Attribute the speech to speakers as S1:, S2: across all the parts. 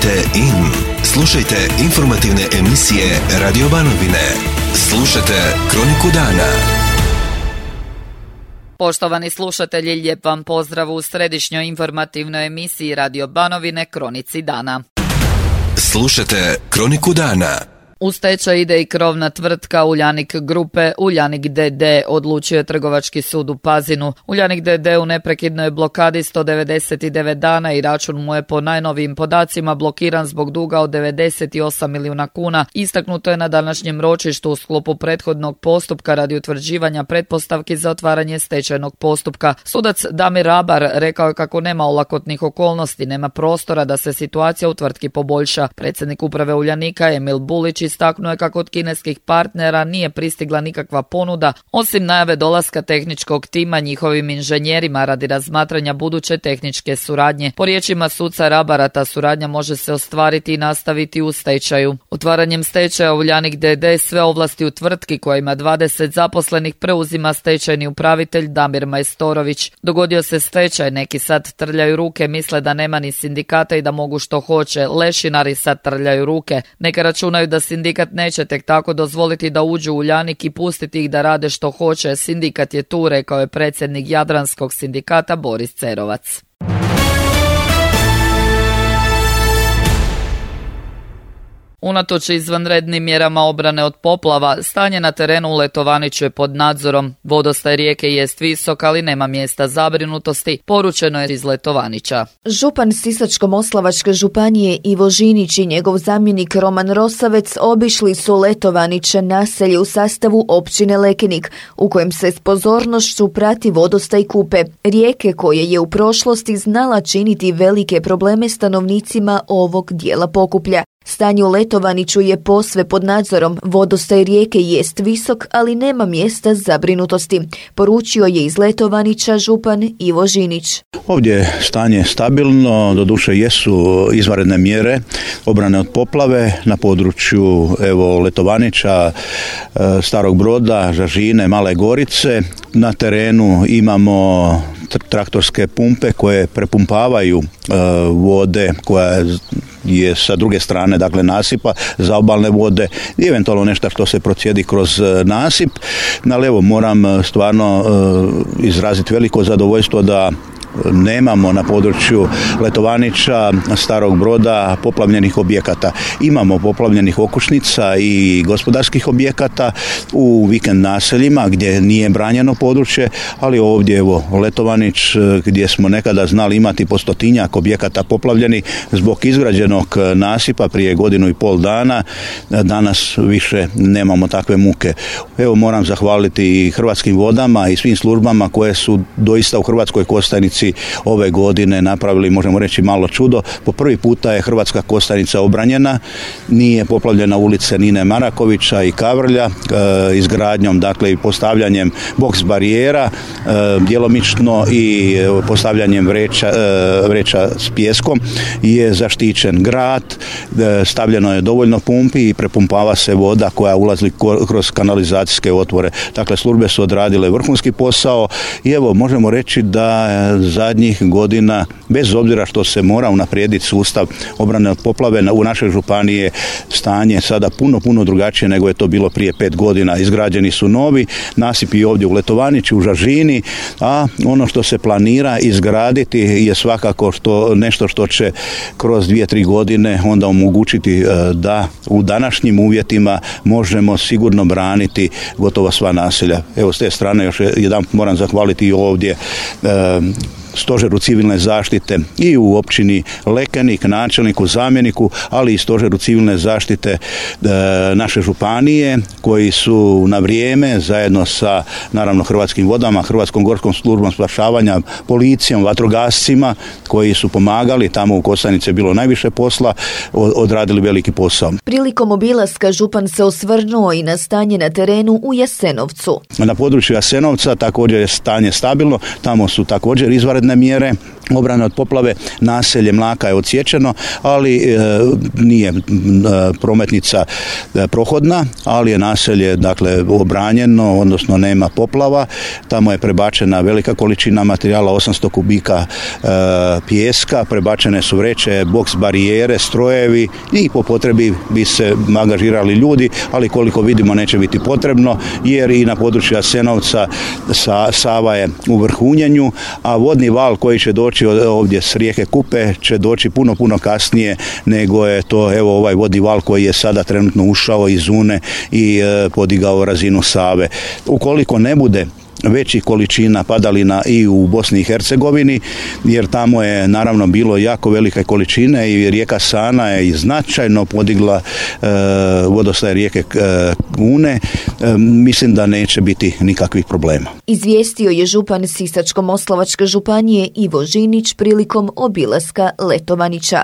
S1: Tunite in. Slušajte informativne emisije Radio Banovine. Slušajte Kroniku dana.
S2: Poštovani slušatelji, lijep vam pozdrav u središnjoj informativnoj emisiji Radio Banovine Kronici dana.
S1: Slušajte Kroniku dana.
S2: U stečaj ide i krovna tvrtka Uljanik Grupe. Uljanik d.d. odlučio je Trgovački sud u Pazinu. Uljanik d.d. u neprekidnoj blokadi 199 dana i račun mu je po najnovijim podacima blokiran zbog duga od 98 milijuna kuna. Istaknuto je na današnjem ročištu u sklopu prethodnog postupka radi utvrđivanja pretpostavki za otvaranje stečajnog postupka. Sudac Damir Rabar rekao je kako nema olakotnih okolnosti, nema prostora da se situacija u tvrtki poboljša. Predsjednik uprave Uljanika Emil Bulić istaknuo je kako od kineskih partnera nije pristigla nikakva ponuda, osim najave dolaska tehničkog tima njihovim inženjerima radi razmatranja buduće tehničke suradnje. Po riječima suca Rabara, ta suradnja može se ostvariti i nastaviti u stečaju. Otvaranjem stečaja Uljanik d.d. sve ovlasti u tvrtki koja ima 20 zaposlenih preuzima stečajni upravitelj Damir Majstorović. Dogodio se stečaj, neki sad trljaju ruke, misle da nema ni sindikata i da mogu što hoće. Lešinari sad trljaju ruke. Neka računaju da sindikat neće tek tako dozvoliti da uđu u Uljanik i pustiti ih da rade što hoće. Sindikat je tu, rekao je predsjednik Jadranskog sindikata Boris Cerovac. Unatoč izvanrednim mjerama obrane od poplava, stanje na terenu u Letovaniću je pod nadzorom. Vodostaj rijeke jest visok, ali nema mjesta zabrinutosti, poručeno je iz Letovanića.
S3: Župan Sisačko-moslavačke županije Ivo Žinić i njegov zamjenik Roman Rosavec obišli su Letovaniće, naselje u sastavu općine Lekenik, u kojem se s pozornošću prati vodostaj Kupe, rijeke koje je u prošlosti znala činiti velike probleme stanovnicima ovog dijela Pokuplja. Stanje u Letovaniću je posve pod nadzorom, vodostaj rijeke jest visok, ali nema mjesta zabrinutosti, poručio je iz Letovanića župan Ivo Žinić.
S4: Ovdje je stanje stabilno, doduše jesu izvanredne mjere obrane od poplave na području Letovanića, Starog Broda, Žažine, Male Gorice. Na terenu imamo traktorske pumpe koje prepumpavaju vode koja je sa druge strane, dakle nasipa, za obalne vode i eventualno nešto što se procijedi kroz nasip. Ali evo, moram stvarno izraziti veliko zadovoljstvo da nemamo na području Letovanića, Starog Broda poplavljenih objekata. Imamo poplavljenih okućnica i gospodarskih objekata u vikend naseljima gdje nije branjeno područje, ali ovdje Letovanić gdje smo nekada znali imati po 100-tinjak objekata poplavljeni zbog izgrađenog nasipa prije 1.5 dana, danas više nemamo takve muke. Evo, moram zahvaliti i Hrvatskim vodama i svim službama koje su doista u Hrvatskoj Kostajnici ove godine napravili, možemo reći, malo čudo. Po prvi puta je Hrvatska Kostajnica obranjena, nije poplavljena ulice Nine Marakovića i Kavrlja, izgradnjom, dakle, i postavljanjem boks barijera, djelomično i postavljanjem vreća s pijeskom je zaštićen grad, stavljeno je dovoljno pumpi i prepumpava se voda koja ulazi kroz kanalizacijske otvore. Dakle, službe su odradile vrhunski posao i evo, možemo reći da zadnjih godina, bez obzira što se mora unaprijediti sustav obrane od poplave, u našoj županiji je stanje sada puno drugačije nego je to bilo prije 5 godina. Izgrađeni su novi nasipi ovdje u Letovaniću, u Žažini, a ono što se planira izgraditi je svakako nešto što će kroz 2-3 godine onda omogućiti da u današnjim uvjetima možemo sigurno braniti gotovo sva naselja. Evo, s te strane još jedan moram zahvaliti i ovdje Stožeru civilne zaštite i u općini Lekenik, načelniku, zamjeniku, ali i Stožeru civilne zaštite naše županije, koji su na vrijeme zajedno sa, naravno, Hrvatskim vodama, Hrvatskom gorskom službom spašavanja, policijom, vatrogascima koji su pomagali, tamo u Kostajnici je bilo najviše posla, odradili veliki posao.
S3: Prilikom obilaska župan se osvrnuo i na stanje na terenu u Jasenovcu.
S4: Na području Jasenovca također je stanje stabilno, tamo su također izvanredne mjere obrane od poplave. Naselje Mlaka je odsječeno, ali nije prometnica prohodna, ali je naselje dakle obranjeno, odnosno nema poplava. Tamo je prebačena velika količina materijala, 800 kubika pijeska, prebačene su vreće, boks barijere, strojevi i po potrebi bi se angažirali ljudi, ali koliko vidimo neće biti potrebno, jer i na području Jasenovca Sava je u vrhunjenju, a vodni val koji će doći ovdje s rijeke Kupe će doći puno kasnije nego je to ovaj vodni val koji je sada trenutno ušao iz Une i podigao razinu Save. Ukoliko ne bude većih količina padalina i u Bosni i Hercegovini, jer tamo je naravno bilo jako velike količine i rijeka Sana je i značajno podigla vodostaj rijeke Une, mislim da neće biti nikakvih problema.
S3: Izvijestio je župan Sisačko-moslavačke županije Ivo Žinić prilikom obilaska Letovanića.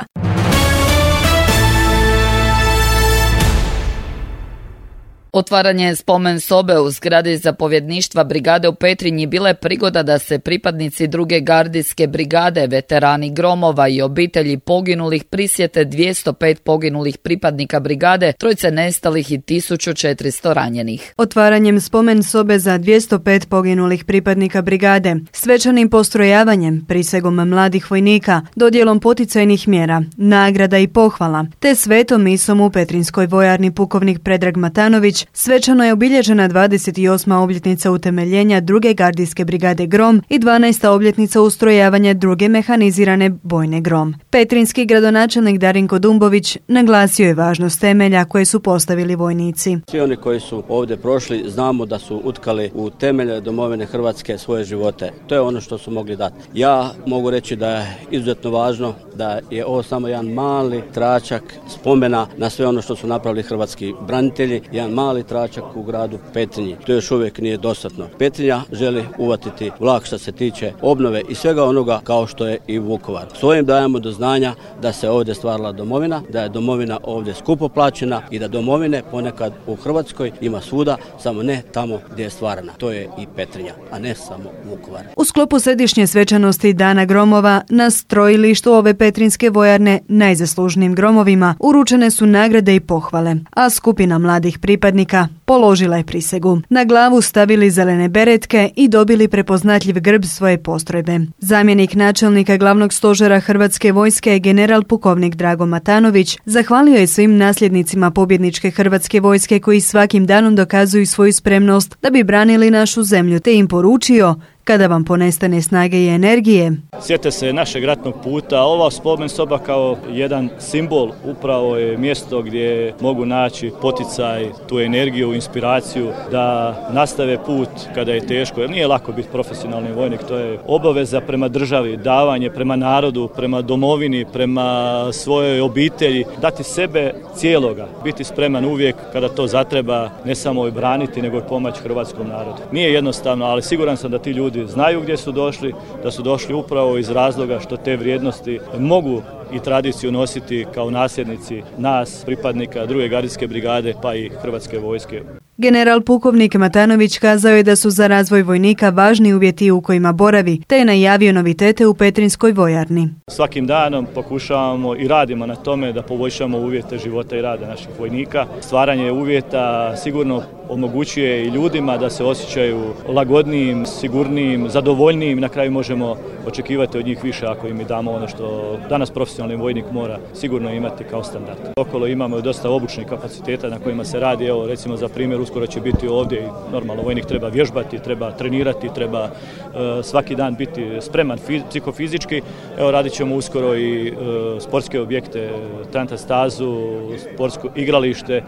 S2: Otvaranje spomen sobe u zgradi zapovjedništva brigade u Petrinji bila je prigoda da se pripadnici druge gardijske brigade, veterani gromova i obitelji poginulih prisjete 205 poginulih pripadnika brigade, 3 nestalih i 1400 ranjenih.
S5: Otvaranjem spomen sobe za 205 poginulih pripadnika brigade, svečanim postrojavanjem, prisegom mladih vojnika, dodjelom poticajnih mjera, nagrada i pohvala, te svetom misom u Petrinskoj vojarni pukovnik Predrag Matanović, svečano je obilježena 28. obljetnica utemeljenja druge gardijske brigade Grom i 12. obljetnica ustrojavanja druge mehanizirane bojne Grom. Petrinski gradonačelnik Darinko Dumbović naglasio je važnost temelja koje su postavili vojnici.
S6: Svi oni koji su ovdje prošli znamo da su utkali u temelje domovine Hrvatske svoje živote. To je ono što su mogli dati. Ja mogu reći da je izuzetno važno da je ovo samo jedan mali tračak spomena na sve ono što su napravili hrvatski branitelji, jedan mali tračak u gradu Petrinji. To još uvijek nije dostatno. Petrinja želi uvatiti vlak što se tiče obnove i svega onoga kao što je i Vukovar. S ovim dajemo do znanja da se ovdje stvarala domovina, da je domovina ovdje skupo plaćena i da domovine ponekad u Hrvatskoj ima svuda, samo ne tamo gdje je stvarana. To je i Petrinja, a ne samo Vukovar.
S5: U sklopu središnje svečanosti Dana gromova na strojilištu ove petrinske vojarne najzaslužnijim gromovima uručene su nagrade i pohvale, a skupina mladih pripadnika položila je prisegu. Na glavu stavili zelene beretke i dobili prepoznatljiv grb svoje postrojbe. Zamjenik načelnika glavnog stožera Hrvatske vojske, general pukovnik Drago Matanović, zahvalio je svim nasljednicima pobjedničke Hrvatske vojske koji svakim danom dokazuju svoju spremnost da bi branili našu zemlju, te im poručio: kada vam ponestane snage i energije,
S7: sjete se našeg ratnog puta. Ova spomen soba kao jedan simbol upravo je mjesto gdje mogu naći poticaj, tu energiju, inspiraciju da nastave put kada je teško. Jer nije lako biti profesionalni vojnik, to je obaveza prema državi, davanje prema narodu, prema domovini, prema svojoj obitelji, dati sebe cijeloga, biti spreman uvijek kada to zatreba, ne samo braniti nego i pomoći hrvatskom narodu. Nije jednostavno, ali siguran sam da ti ljudi znaju gdje su došli, da su došli upravo iz razloga što te vrijednosti mogu i tradiciju nositi kao nasljednici nas, pripadnika druge gardijske brigade pa i Hrvatske vojske.
S5: General pukovnik Matanović kazao je da su za razvoj vojnika važni uvjeti u kojima boravi, te je najavio novitete u Petrinskoj vojarni.
S7: Svakim danom pokušavamo i radimo na tome da poboljšamo uvjete života i rada naših vojnika. Stvaranje uvjeta sigurno omogućuje i ljudima da se osjećaju lagodnijim, sigurnijim, zadovoljnijim. Na kraju možemo očekivati od njih više ako im i damo ono što danas profesionalni vojnik mora sigurno imati kao standard. Okolo imamo dosta obučnih kapaciteta na kojima se radi. Evo recimo za primjer, uskoro će biti ovdje i normalno vojnik treba vježbati, treba trenirati, treba svaki dan biti spreman psihofizički. Evo radit ćemo uskoro i sportske objekte, Tranta stazu, sportsko igralište,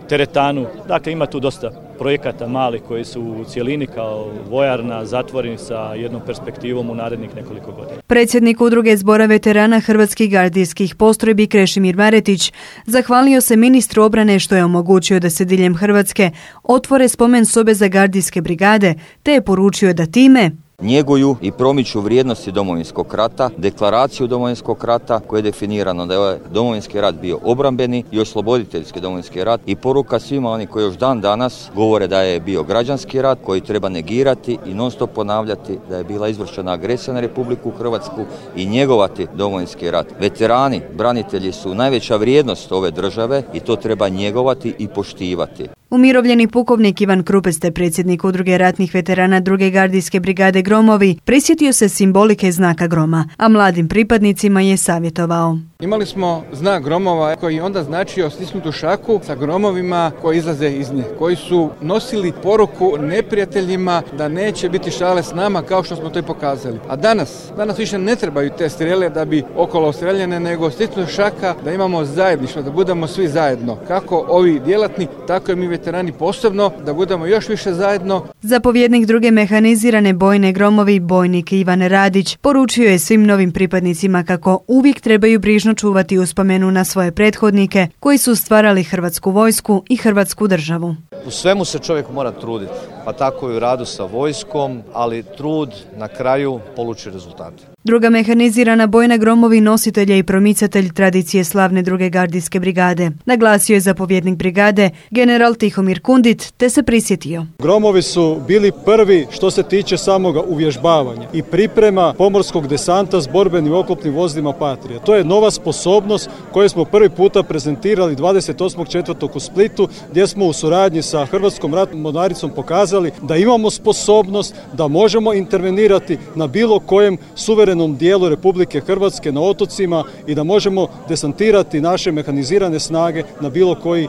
S7: teretanu. Dakle, ima tu dosta projekata malih koji su u cjelini kao vojarna zatvoreni sa jednom perspektivom u narednih nekoliko godina.
S5: Predsjednik udruge zbora veterana hrvatskih gardijskih postrojbi Krešimir Maretić zahvalio se ministru obrane što je omogućio da se diljem Hrvatske otvore spomen sobe za gardijske brigade, te je poručio da time
S8: njeguju i promiču vrijednosti Domovinskog rata, deklaraciju Domovinskog rata koje je definirano da je Domovinski rat bio obrambeni i osloboditeljski Domovinski rat i poruka svima oni koji još dan danas govore da je bio građanski rat koji treba negirati i non stop ponavljati da je bila izvršena agresija na Republiku Hrvatsku i njegovati Domovinski rat. Veterani, branitelji su najveća vrijednost ove države i to treba njegovati i poštivati.
S5: Umirovljeni pukovnik Ivan Krupeste, predsjednik Udruge ratnih veterana 2. gardijske brigade Gromovi, prisjetio se simbolike znaka groma, a mladim pripadnicima je savjetovao.
S9: Imali smo znak gromova koji onda značio stisnutu šaku sa gromovima koji izlaze iz nje, koji su nosili poruku neprijateljima da neće biti šale s nama kao što smo to i pokazali. A danas više ne trebaju te strele da bi okolo streljene, nego stisnuta šaka da imamo zajedništvo, da budemo svi zajedno. Kako ovi djelatni, tako i mi veterani posebno, da budemo još više zajedno.
S5: Zapovjednik 2. mehanizirane bojne Gromovi, bojnik Ivan Radić, poručio je svim novim pripadnicima kako uvijek trebaju brižno čuvati uspomenu na svoje prethodnike koji su stvarali Hrvatsku vojsku i Hrvatsku državu.
S10: U svemu se čovjek mora truditi, pa tako i u radu sa vojskom, ali trud na kraju poluči rezultate.
S5: 2. mehanizirana bojna Gromovi nositelj je i promicatelj tradicije slavne 2. gardijske brigade. Naglasio je zapovjednik brigade, general Tihomir Kundit, te se prisjetio.
S11: Gromovi su bili prvi što se tiče samoga uvježbavanja i priprema pomorskog desanta s borbenim oklopnim vozilima Patrija. To je nova sposobnost koju smo prvi puta prezentirali 28.4. u Splitu, gdje smo u suradnji sa Hrvatskom ratnom mornaricom pokazali da imamo sposobnost da možemo intervenirati na bilo kojem suverenom dijelu Republike Hrvatske na otocima i da možemo desantirati naše mehanizirane snage na bilo koji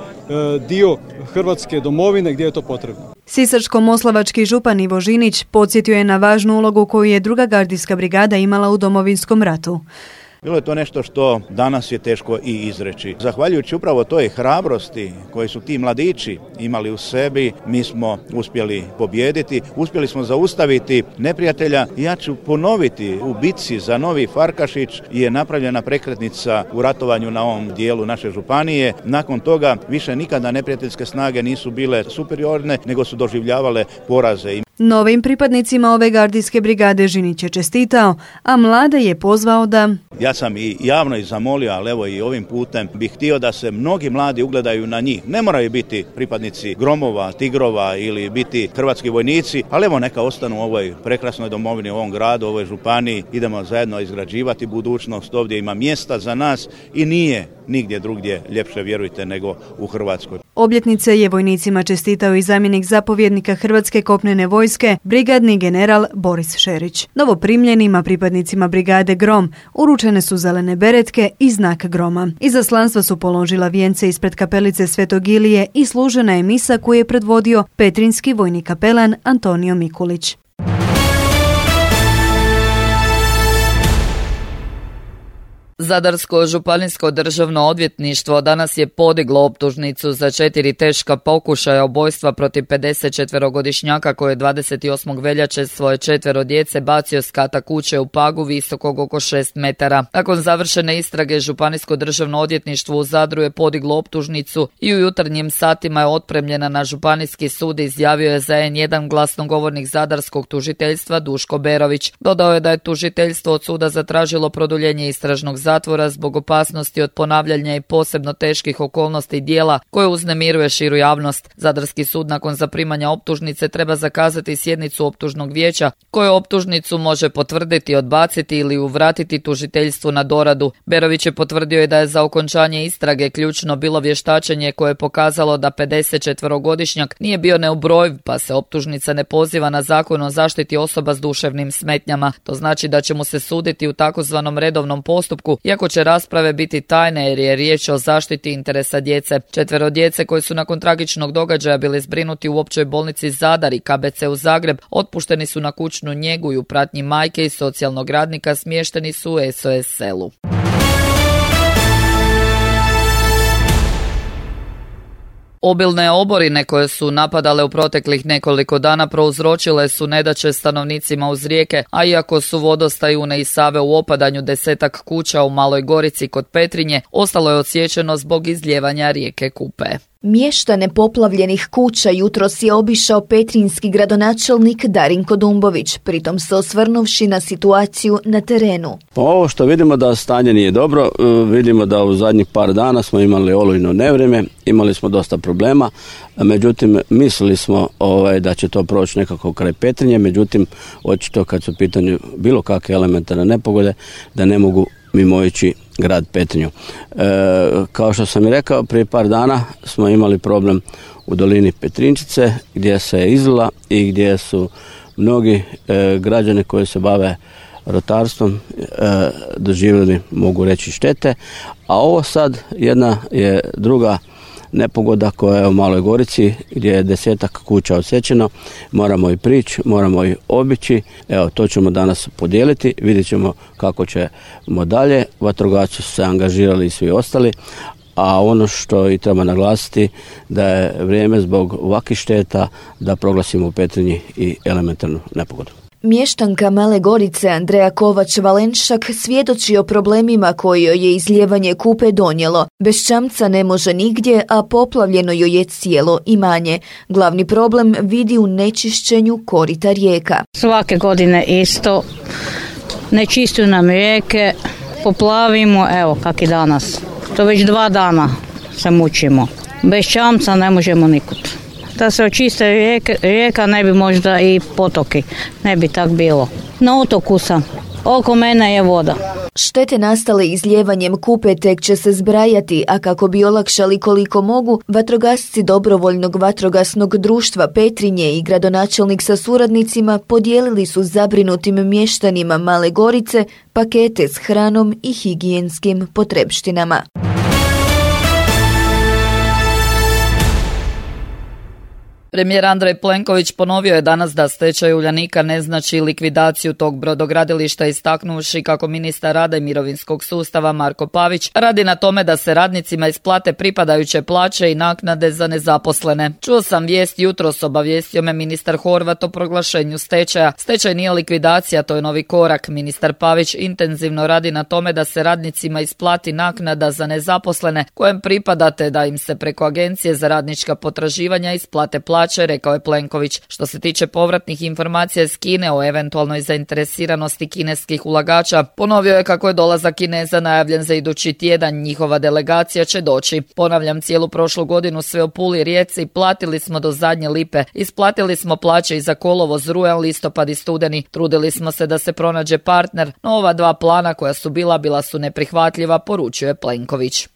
S11: dio Hrvatske domovine gdje je to potrebno.
S5: Sisačko-moslavački župan Ivo Žinić podsjetio je na važnu ulogu koju je 2. gardijska brigada imala u Domovinskom ratu.
S4: Bilo je to nešto što danas je teško i izreći. Zahvaljujući upravo toj hrabrosti koje su ti mladići imali u sebi, mi smo uspjeli pobijediti, uspjeli smo zaustaviti neprijatelja. Ja ću ponoviti, u bitci za Novi Farkašić je napravljena prekretnica u ratovanju na ovom dijelu naše županije. Nakon toga više nikada neprijateljske snage nisu bile superiorne, nego su doživljavale poraze.
S5: Novim pripadnicima ove gardijske brigade Žinić je čestitao, a mlade je pozvao da...
S4: Ja sam i javno i zamolio, ali evo i ovim putem bih htio da se mnogi mladi ugledaju na njih. Ne moraju biti pripadnici Gromova, Tigrova ili biti hrvatski vojnici, ali evo neka ostanu u ovoj prekrasnoj domovini, u ovom gradu, u ovoj županiji. Idemo zajedno izgrađivati budućnost, ovdje ima mjesta za nas i nije nigdje drugdje ljepše, vjerujte, nego u Hrvatskoj.
S5: Obljetnice je vojnicima čestitao i zamjenik zapovjednika Hrvatske kopnene vojske, brigadni general Boris Šerić. Novoprimljenima pripadnicima brigade Grom uručene su zelene beretke i znak groma. Izaslanstva su položila vijence ispred kapelice Svetog Ilije i služena je misa koju je predvodio petrinjski vojni kapelan Antonio Mikulić.
S2: Zadarsko županijsko državno odvjetništvo danas je podiglo optužnicu za 4 teška pokušaja ubojstva protiv 54-godišnjaka koji je 28. veljače svoje 4 djece bacio s kata kuće u Pagu visokog oko 6 metara. Nakon završene istrage, Županijsko državno odvjetništvo u Zadru je podiglo optužnicu i u jutarnjim satima je otpremljena na Županijski sud, izjavio je za N1 glasnogovornik zadarskog tužiteljstva Duško Berović. Dodao je da je tužiteljstvo od suda zatražilo produljenje istražnog zatvora zbog opasnosti od ponavljanja i posebno teških okolnosti djela koje uznemiruje širu javnost. Zadarski sud nakon zaprimanja optužnice treba zakazati sjednicu optužnog vijeća koje optužnicu može potvrditi, odbaciti ili uvratiti tužiteljstvu na doradu. Berović je potvrdio i da je za okončanje istrage ključno bilo vještačenje koje je pokazalo da 54-godišnjak nije bio neubrojiv, pa se optužnica ne poziva na Zakon o zaštiti osoba s duševnim smetnjama. To znači da će mu se suditi u takozvanom redovnom postupku, iako će rasprave biti tajne jer je riječ o zaštiti interesa djece. 4 djece koji su nakon tragičnog događaja bili zbrinuti u općoj bolnici Zadar i KBC u Zagreb otpušteni su na kućnu njegu i u pratnji majke i socijalnog radnika smješteni su u SOS selu. Obilne oborine koje su napadale u proteklih nekoliko dana prouzročile su nedaće stanovnicima uz rijeke, a iako su vodostaj Une i Save u opadanju, 10-ak kuća u Maloj Gorici kod Petrinje ostalo je odsječeno zbog izlijevanja rijeke Kupe.
S3: Mještane poplavljenih kuća jutros je obišao petrinjski gradonačelnik Darinko Dumbović, pritom se osvrnuvši na situaciju na terenu.
S6: Ovo što vidimo da stanje nije dobro, vidimo da u zadnjih par dana smo imali olujno nevrijeme, imali smo dosta problema, međutim mislili smo da će to proći nekako kraj Petrinje, međutim očito kad su u pitanju bilo kakve elementarne nepogode da ne mogu mimoići grad Petrinju. Kao što sam i rekao, prije par dana smo imali problem u dolini Petrinčice gdje se je izlila i gdje su mnogi građani koji se bave rotarstvom doživjeli, mogu reći, štete, a ovo sad jedna je druga nepogoda koja je u Maloj Gorici gdje je 10-ak kuća odsječeno, moramo i prići, moramo i obići, evo to ćemo danas podijeliti, vidjet ćemo kako ćemo dalje, vatrogasci su se angažirali i svi ostali, a ono što i treba naglasiti da je vrijeme zbog ovakvih šteta da proglasimo u Petrinji i elementarnu nepogodu.
S3: Mještanka Male Gorice Andreja Kovač-Valenšak svjedoči o problemima koje joj je izlijevanje Kupe donijelo. Bez čamca ne može nigdje, a poplavljeno joj je cijelo imanje. Glavni problem vidi u nečišćenju korita rijeka.
S12: Svake godine isto, ne čistiju nam rijeke, poplavimo, evo kak i danas. To već 2 dana se mučimo. Bez čamca ne možemo nikud. Da se očiste rijeka, ne bi možda i potoki, ne bi tak bilo. Na otoku sam, oko mene je voda.
S3: Štete nastale izlijevanjem Kupe tek će se zbrajati, a kako bi olakšali koliko mogu, vatrogasci Dobrovoljnog vatrogasnog društva Petrinje i gradonačelnik sa suradnicima podijelili su zabrinutim mještanima Male Gorice pakete s hranom i higijenskim potrepštinama.
S2: Premijer Andrej Plenković ponovio je danas da stečaj Uljanika ne znači likvidaciju tog brodogradilišta, istaknuvši kako ministar rada i mirovinskog sustava Marko Pavić radi na tome da se radnicima isplate pripadajuće plaće i naknade za nezaposlene. Čuo sam vijest jutros, obavijestio me ministar Horvat o proglašenju stečaja. Stečaj nije likvidacija, to je novi korak. Ministar Pavić intenzivno radi na tome da se radnicima isplati naknada za nezaposlene kojem pripadate, da im se preko Agencije za radnička potraživanja isplate plaće, rekao je Plenković. Što se tiče povratnih informacija iz Kine o eventualnoj zainteresiranosti kineskih ulagača, ponovio je kako je dolazak Kineza najavljen za idući tjedan, njihova delegacija će doći. Ponavljam, cijelu prošlu godinu sve u Puli, Rijeci platili smo do zadnje lipe, isplatili smo plaće i za kolovoz, rujan, listopad i studeni, trudili smo se da se pronađe partner, no ova 2 plana koja su bila su neprihvatljiva, poručio je Plenković.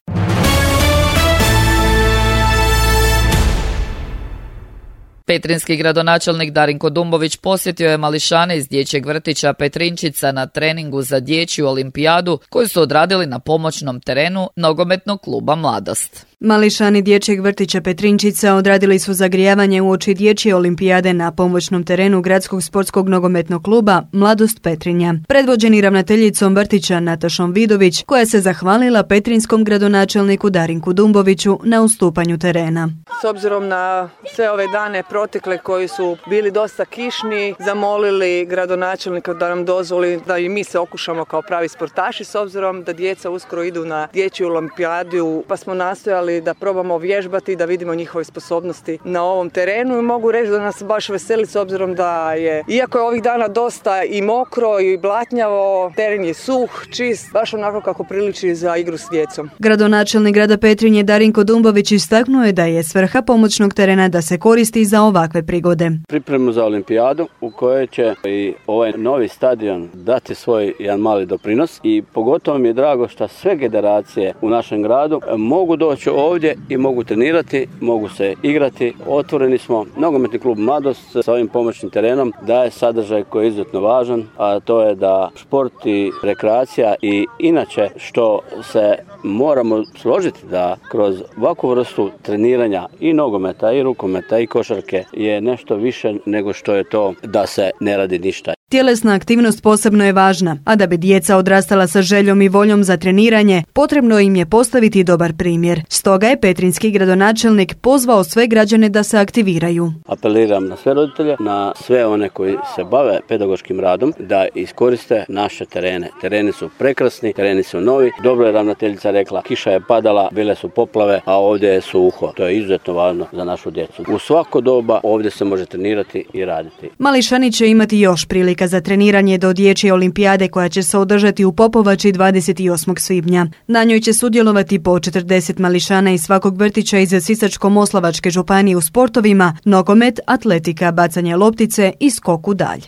S2: Petrinjski gradonačelnik Darinko Dumbović posjetio je mališane iz dječjeg vrtića Petrinčica na treningu za dječju olimpijadu koju su odradili na pomoćnom terenu nogometnog kluba Mladost.
S5: Mališani dječjeg vrtića Petrinčica odradili su zagrijavanje uoči dječje olimpijade na pomoćnom terenu gradskog sportskog nogometnog kluba Mladost Petrinja. Predvođeni ravnateljicom vrtića Natašom Vidović, koja se zahvalila petrinjskom gradonačelniku Darinku Dumboviću na ustupanju terena.
S13: S obzirom na sve ove dane protekle koji su bili dosta kišni, zamolili gradonačelnika da nam dozvoli da i mi se okušamo kao pravi sportaši, s obzirom da djeca uskoro idu na dječju olimpijadu, pa smo nastojali da probamo vježbati, da vidimo njihove sposobnosti na ovom terenu i mogu reći da nas baš veseli s obzirom da je, iako je ovih dana dosta i mokro i blatnjavo, teren je suh, čist, baš onako kako priliči za igru s djecom.
S5: Gradonačelnik grada Petrinje Darinko Dumbović istaknuo je da je svrha pomoćnog terena da se koristi za ovakve prigode.
S6: Pripremu za olimpijadu u kojoj će i ovaj novi stadion dati svoj jedan mali doprinos i pogotovo mi je drago što sve generacije u našem gradu mogu doći ovdje i mogu trenirati, mogu se igrati. Otvoreni smo, nogometni klub Mladost sa ovim pomoćnim terenom daje sadržaj koji je izuzetno važan, a to je da šport i rekreacija i inače što se moramo složiti da kroz ovakvu vrstu treniranja i nogometa i rukometa i košarke je nešto više nego što je to da se ne radi ništa.
S5: Tjelesna aktivnost posebno je važna, a da bi djeca odrastala sa željom i voljom za treniranje, potrebno im je postaviti dobar primjer. Stoga je petrinjski gradonačelnik pozvao sve građane da se aktiviraju.
S6: Apeliram na sve roditelje, na sve one koji se bave pedagoškim radom, da iskoriste naše terene. Tereni su prekrasni, tereni su novi. Dobro je ravnateljica rekla, kiša je padala, bile su poplave, a ovdje je suho. To je izuzetno važno za našu djecu. U svako doba ovdje se može trenirati i raditi.
S5: Mališani će imati još prilika za treniranje do dječje olimpijade koja će se održati u Popovači 28. svibnja. Na njoj će sudjelovati po 40 mališana iz svakog vrtića iz Sisačko-moslavačke županije u sportovima nogomet, atletika, bacanje loptice i skok u dalj.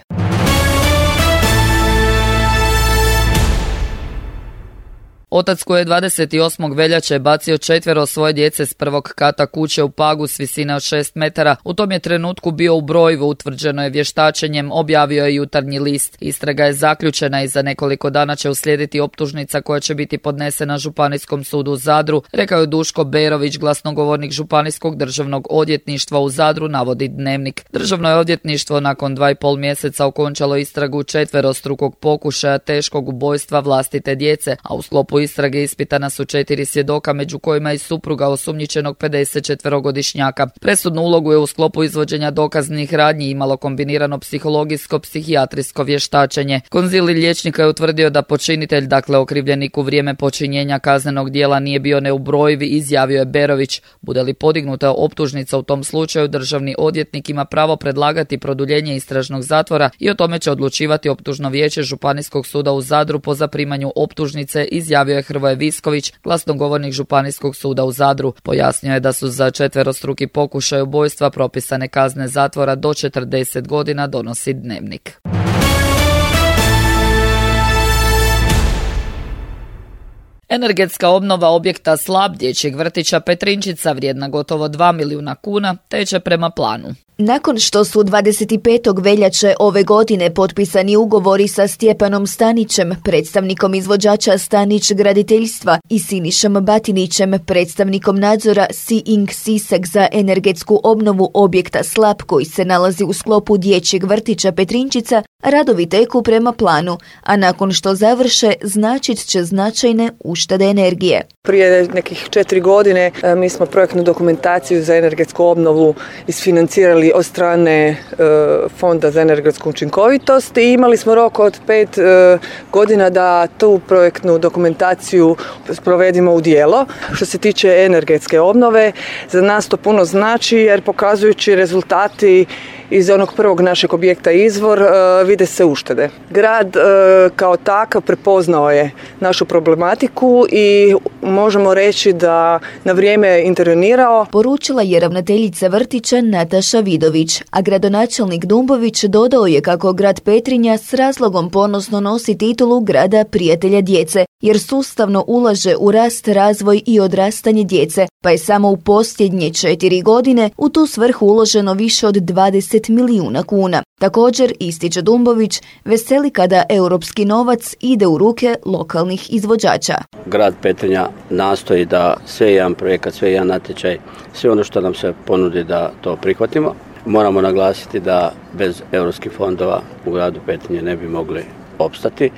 S2: Otac koji je 28. veljače bacio 4 svoje djece s prvog kata kuće u Pagu s visine od 6 metara, u tom je trenutku bio u brojivu, utvrđeno je vještačenjem, objavio je Jutarnji list. Istraga je zaključena i za nekoliko dana će uslijediti optužnica koja će biti podnesena Županijskom sudu u Zadru, rekao je Duško Berović, glasnogovornik Županijskog državnog odvjetništva u Zadru, navodi Dnevnik. Državno je odvjetništvo nakon 2,5 mjeseca okončalo istragu 4 pokušaja teškog ubojstva vlastite djece, a u sklopu istrage ispitana su 4 svjedoka, među kojima i supruga osumnjičenog 54-godišnjaka. Presudnu ulogu je u sklopu izvođenja dokaznih radnji imalo kombinirano psihologijsko-psihijatrijsko vještačenje. Konzilij liječnika je utvrdio da počinitelj, dakle okrivljenik u vrijeme počinjenja kaznenog djela, nije bio neubrojiv, izjavio je Berović. Bude li podignuta optužnica u tom slučaju, državni odvjetnik ima pravo predlagati produljenje istražnog zatvora i o tome će odlučivati optužno vijeće Županijskog suda u Zadru po zaprimanju optužnice, izjavio je Hrvoje Visković, glasnogovornik Županijskog suda u Zadru. Pojasnio je da su za 4 pokušaj ubojstva propisane kazne zatvora do 40 godina, donosi Dnevnik. Energetska obnova objekta Slap dječjeg vrtića Petrinčica vrijedna gotovo 2 milijuna kuna teče prema planu.
S3: Nakon što su 25. veljače ove godine potpisani ugovori sa Stjepanom Stanićem, predstavnikom izvođača Stanić graditeljstva, i Sinišom Batinićem, predstavnikom nadzora Sea-Ing Sisak za energetsku obnovu objekta Slap koji se nalazi u sklopu dječjeg vrtića Petrinčica, radovi teku prema planu, a nakon što završe značit će značajne uštede energije.
S13: Prije nekih 4 godine mi smo projektnu dokumentaciju za energetsku obnovu isfinancirali od strane Fonda za energetsku učinkovitost i imali smo rok od 5 godina da tu projektnu dokumentaciju provedimo u djelo. Što se tiče energetske obnove, za nas to puno znači jer pokazujući rezultati iz onog prvog našeg objekta Izvor vide se uštede. Grad kao takav prepoznao je našu problematiku i možemo reći da na vrijeme intervenirao.
S3: Poručila je ravnateljica vrtića Nataša Vidović, a gradonačelnik Dumbović dodao je kako grad Petrinja s razlogom ponosno nosi titulu grada prijatelja djece, jer sustavno ulaže u rast, razvoj i odrastanje djece, pa je samo u posljednje 4 godine u tu svrhu uloženo više od 20 milijuna kuna. Također, ističe Dumbović, veseli kada europski novac ide u ruke lokalnih izvođača.
S6: Grad Petrinja nastoji da sve jedan projekat, sve jedan natječaj, sve ono što nam se ponudi da to prihvatimo. Moramo naglasiti da bez europskih fondova u gradu Petrinje ne bi mogli opstati.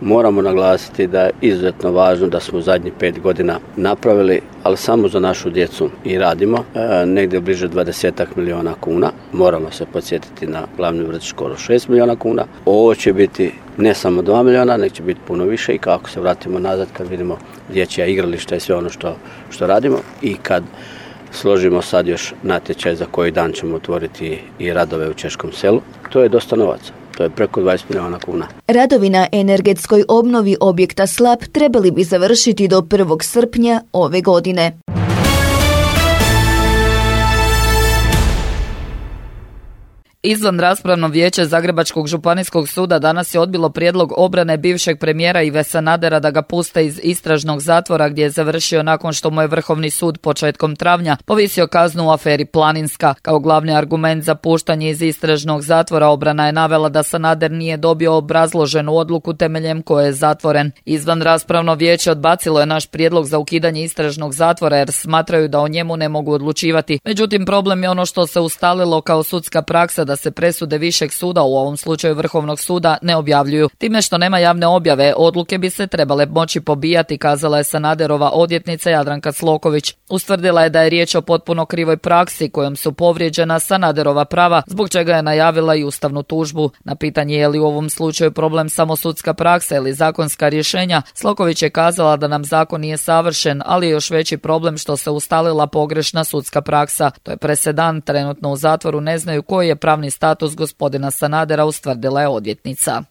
S6: Moramo naglasiti da je izuzetno važno da smo zadnjih 5 godina napravili, ali samo za našu djecu i radimo, negdje bliže 20 milijuna kuna. Moramo se podsjetiti na glavni vrtić skoro 6 milijuna kuna. Ovo će biti ne samo 2 milijuna, nek će biti puno više i kako se vratimo nazad kad vidimo dječja igrališta i sve ono što radimo i kad složimo sad još natječaj za koji dan ćemo otvoriti i radove u Češkom selu. To je dosta novaca. To je preko 20 milijuna kuna.
S3: Radovi na energetskoj obnovi objekta Slap trebali bi završiti do 1. srpnja ove godine.
S2: Izvan raspravno vijeće Zagrebačkog županijskog suda danas je odbilo prijedlog obrane bivšeg premijera Ive Sanadera da ga puste iz istražnog zatvora gdje je završio nakon što mu je Vrhovni sud početkom travnja povisio kaznu u aferi Planinska. Kao glavni argument za puštanje iz istražnog zatvora obrana je navela da Sanader nije dobio obrazloženu odluku temeljem koje je zatvoren. Izvan raspravno vijeće odbacilo je naš prijedlog za ukidanje istražnog zatvora jer smatraju da o njemu ne mogu odlučivati. Međutim, problem je ono što se ustalilo kao sudska praksa da da se presude višeg suda, u ovom slučaju Vrhovnog suda, ne objavljuju. Time što nema javne objave, odluke bi se trebale moći pobijati, kazala je Sanaderova odvjetnica Jadranka Sloković. Ustvrdila je da je riječ o potpuno krivoj praksi kojom su povrijeđena Sanaderova prava, zbog čega je najavila i ustavnu tužbu. Na pitanje je li u ovom slučaju problem samo sudska praksa ili zakonska rješenja, Sloković je kazala da nam zakon nije savršen, ali je još veći problem što se ustalila pogrešna sudska praksa. To je presedan, trenutno u zatvoru ne znaju koji je pravni status gospodina Sanadera, ustvrdila je odvjetnica.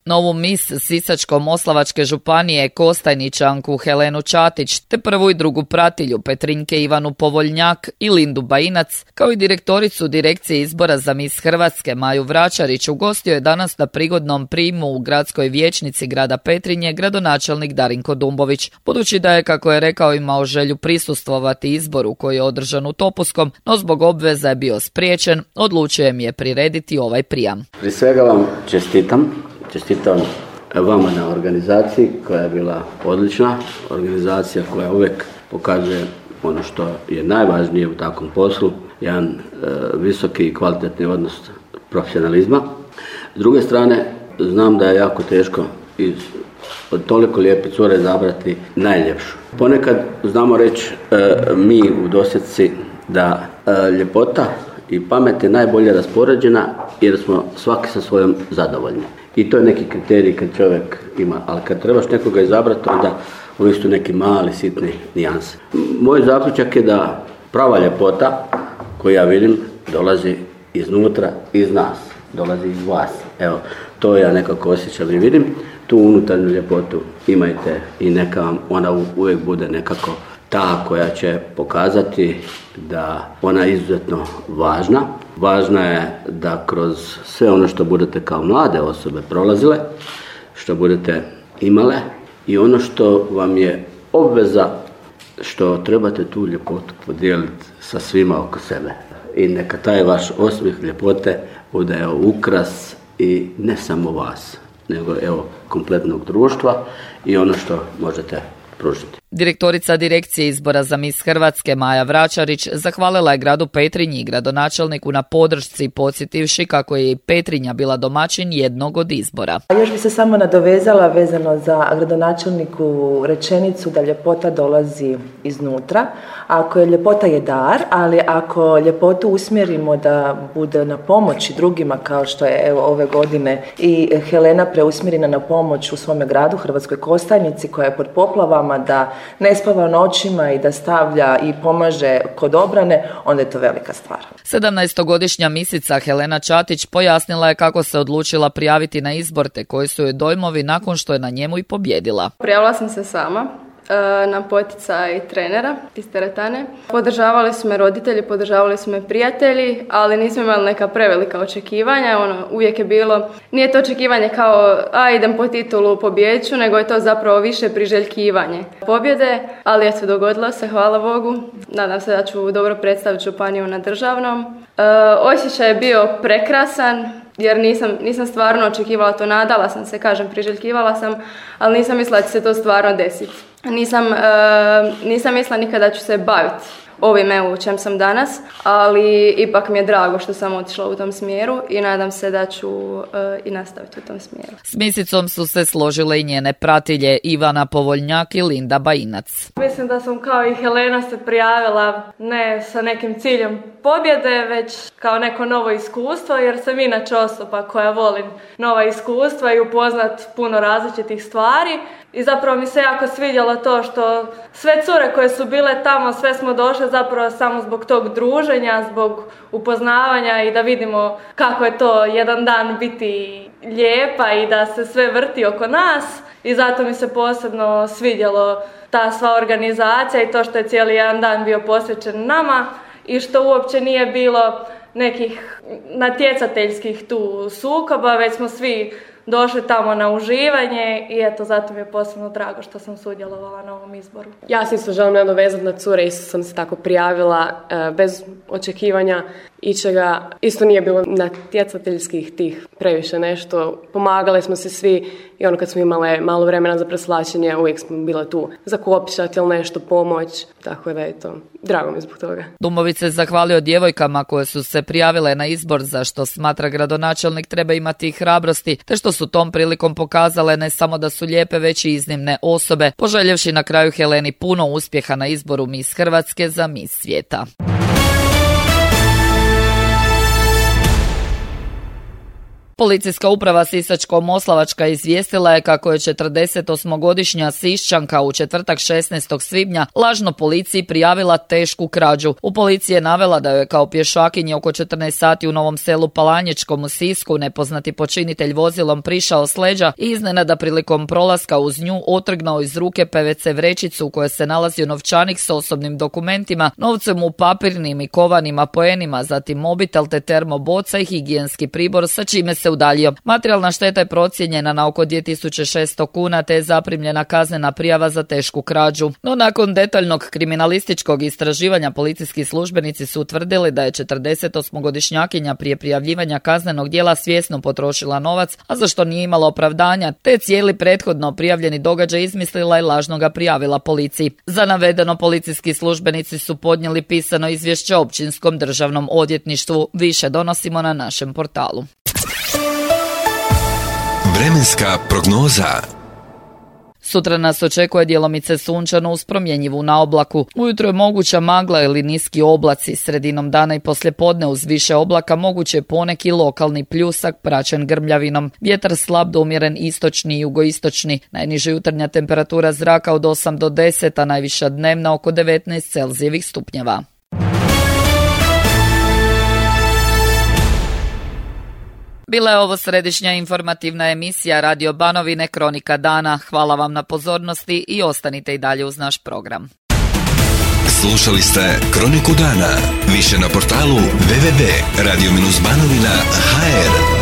S2: Novu mis Sisačko-moslavačke županije Kostajničanku Helenu Čatić te prvu i drugu pratilju Petrinjke Ivanu Povoljnjak i Lindu Bajinac, kao i direktoricu Direkcije izbora za mis Hrvatske Maju Vračarić, ugostio je danas na prigodnom prijmu u gradskoj vijećnici grada Petrinje gradonačelnik Darinko Dumbović. Budući da je, kako je rekao, imao želju prisustvovati izboru koji je održan u Topuskom, no zbog obveza je bio spriječen, odlučio mi je prirediti ovaj prijam.
S14: Prije svega vam čestitam vama na organizaciji koja je bila odlična, organizacija koja uvijek pokazuje ono što je najvažnije u takvom poslu, jedan visoki i kvalitetni odnos profesionalizma. S druge strane, znam da je jako teško od toliko lijepe cure izabrati najljepšu. Ponekad znamo reći mi u dosjetci da ljepota i pamet je najbolje raspoređena jer smo svaki sa svojom zadovoljni. I to je neki kriterij kad čovjek ima, ali kad trebaš nekoga izabrati, onda uvijek su neki mali, sitni nijanse. Moj zaključak je da prava ljepota koju ja vidim dolazi iznutra, iz nas, dolazi iz vas. Evo, to ja nekako osjećam i vidim. Tu unutarnju ljepotu imajte i neka vam ona uvijek bude nekako ta koja će pokazati da ona je izuzetno važna. Važna je da kroz sve ono što budete kao mlade osobe prolazile, što budete imale i ono što vam je obveza, što trebate tu ljepotu podijeliti sa svima oko sebe. I neka taj vaš osmijeh ljepote bude ukras i ne samo vas, nego kompletnog društva i ono što možete pružiti.
S2: Direktorica Direkcije izbora za mis Hrvatske Maja Vračarić zahvalila je gradu Petrinji i gradonačelniku na podršci, podsjetivši kako je i Petrinja bila domaćin jednog od izbora.
S15: Još bi se samo nadovezala vezano za gradonačelniku rečenicu da ljepota dolazi iznutra. Ako je ljepota je dar, ali ako ljepotu usmjerimo da bude na pomoći drugima, kao što je ove godine i Helena preusmjerena na pomoć u svome gradu, Hrvatskoj Kostajnici, koja je pod poplavama, da ne spava noćima i da stavlja i pomaže kod obrane, onda je to velika stvar.
S2: 17-godišnja misica Helena Čatić pojasnila je kako se odlučila prijaviti na izbor te koji su joj dojmovi nakon što je na njemu i pobjedila.
S16: Prijavila sam se sama na poticaj trenera iz teretane. Podržavali su me roditelji, podržavali su me prijatelji, ali nismo imali neka prevelika očekivanja. Uvijek je bilo, nije to očekivanje kao idem po titulu, pobjeđu, nego je to zapravo više priželjkivanje pobjede, ali eto, dogodilo se, hvala Bogu. Nadam se da ću dobro predstaviti županiju na državnom. Osjećaj je bio prekrasan, jer nisam stvarno očekivala to, nadala sam se, priželjkivala sam, ali nisam mislila da će se to stvarno desiti. Nisam mislila nikada da ću se baviti ovime u čem sam danas, ali ipak mi je drago što sam otišla u tom smjeru i nadam se da ću i nastaviti u tom smjeru.
S2: S misicom su se složile i njene pratilje Ivana Povoljnjak i Linda Bajinac.
S17: Mislim da sam kao i Helena se prijavila ne sa nekim ciljem pobjede, već kao neko novo iskustvo, jer sam inače osoba koja volim nova iskustva i upoznat puno različitih stvari. I zapravo mi se jako svidjelo to što sve cure koje su bile tamo, sve smo došle zapravo samo zbog tog druženja, zbog upoznavanja i da vidimo kako je to jedan dan biti lijepa i da se sve vrti oko nas. I zato mi se posebno svidjelo ta sva organizacija i to što je cijeli jedan dan bio posvećen nama i što uopće nije bilo nekih natjecateljskih tu sukoba, već smo svi došli tamo na uživanje i eto, zato mi je posebno drago što sam sudjelovala na ovom izboru.
S18: Ja se isto želim nadovezati na cure, isto sam se tako prijavila bez očekivanja ičega. Isto nije bilo natjecateljskih tih previše nešto. Pomagali smo se svi i kad smo imale malo vremena za preslačenje, uvijek smo bile tu zakopčati ili nešto pomoć. Tako da je to. Drago mi zbog toga.
S2: Dumović se zahvalio djevojkama koje su se prijavile na izbor, za što smatra gradonačelnik treba imati i hrabrosti, te što su tom prilikom pokazale ne samo da su lijepe, već i iznimne osobe, poželjevši na kraju Heleni puno uspjeha na izboru Miss Hrvatske za Miss svijeta. Policijska uprava Sisačko-moslavačka izvijestila je kako je 48-godišnja Siščanka u četvrtak 16. svibnja lažno policiji prijavila tešku krađu. U policiji je navela da je kao pješakinji oko 14 sati u Novom Selu Palanjičkom u Sisku nepoznati počinitelj vozilom prišao s leđa i iznenada prilikom prolaska uz nju otrgnuo iz ruke PVC vrećicu u kojoj se nalazio novčanik s osobnim dokumentima, novcem u papirnim i kovanim apoenima, zatim mobitel te termoboca i higijenski pribor, sa čime se udaljio. Materijalna šteta je procijenjena na oko 2600 kuna te je zaprimljena kaznena prijava za tešku krađu. No nakon detaljnog kriminalističkog istraživanja policijski službenici su utvrdili da je 48-godišnjakinja prije prijavljivanja kaznenog djela svjesno potrošila novac, a za što nije imala opravdanja, te cijeli prethodno prijavljeni događaj izmislila i lažno ga prijavila policiji. Za navedeno policijski službenici su podnijeli pisano izvješće Općinskom državnom odvjetništvu. Više donosimo na našem portalu.
S1: Vremenska prognoza.
S2: Sutra nas očekuje djelomice sunčano uz promjenjivu na oblaku. Ujutro je moguća magla ili niski oblaci. Sredinom dana i poslijepodne uz više oblaka moguće je poneki lokalni pljusak praćen grmljavinom. Vjetar slab do umjeren istočni i jugoistočni. Najniža jutarnja temperatura zraka od 8 do 10, a najviša dnevna oko 19 Celzijevih stupnjeva. Bila je ovo središnja informativna emisija Radio Banovine Kronika dana. Hvala vam na pozornosti i ostanite i dalje uz naš program.
S1: Slušali ste Kroniku dana. Više na portalu www.radio-banovina.hr.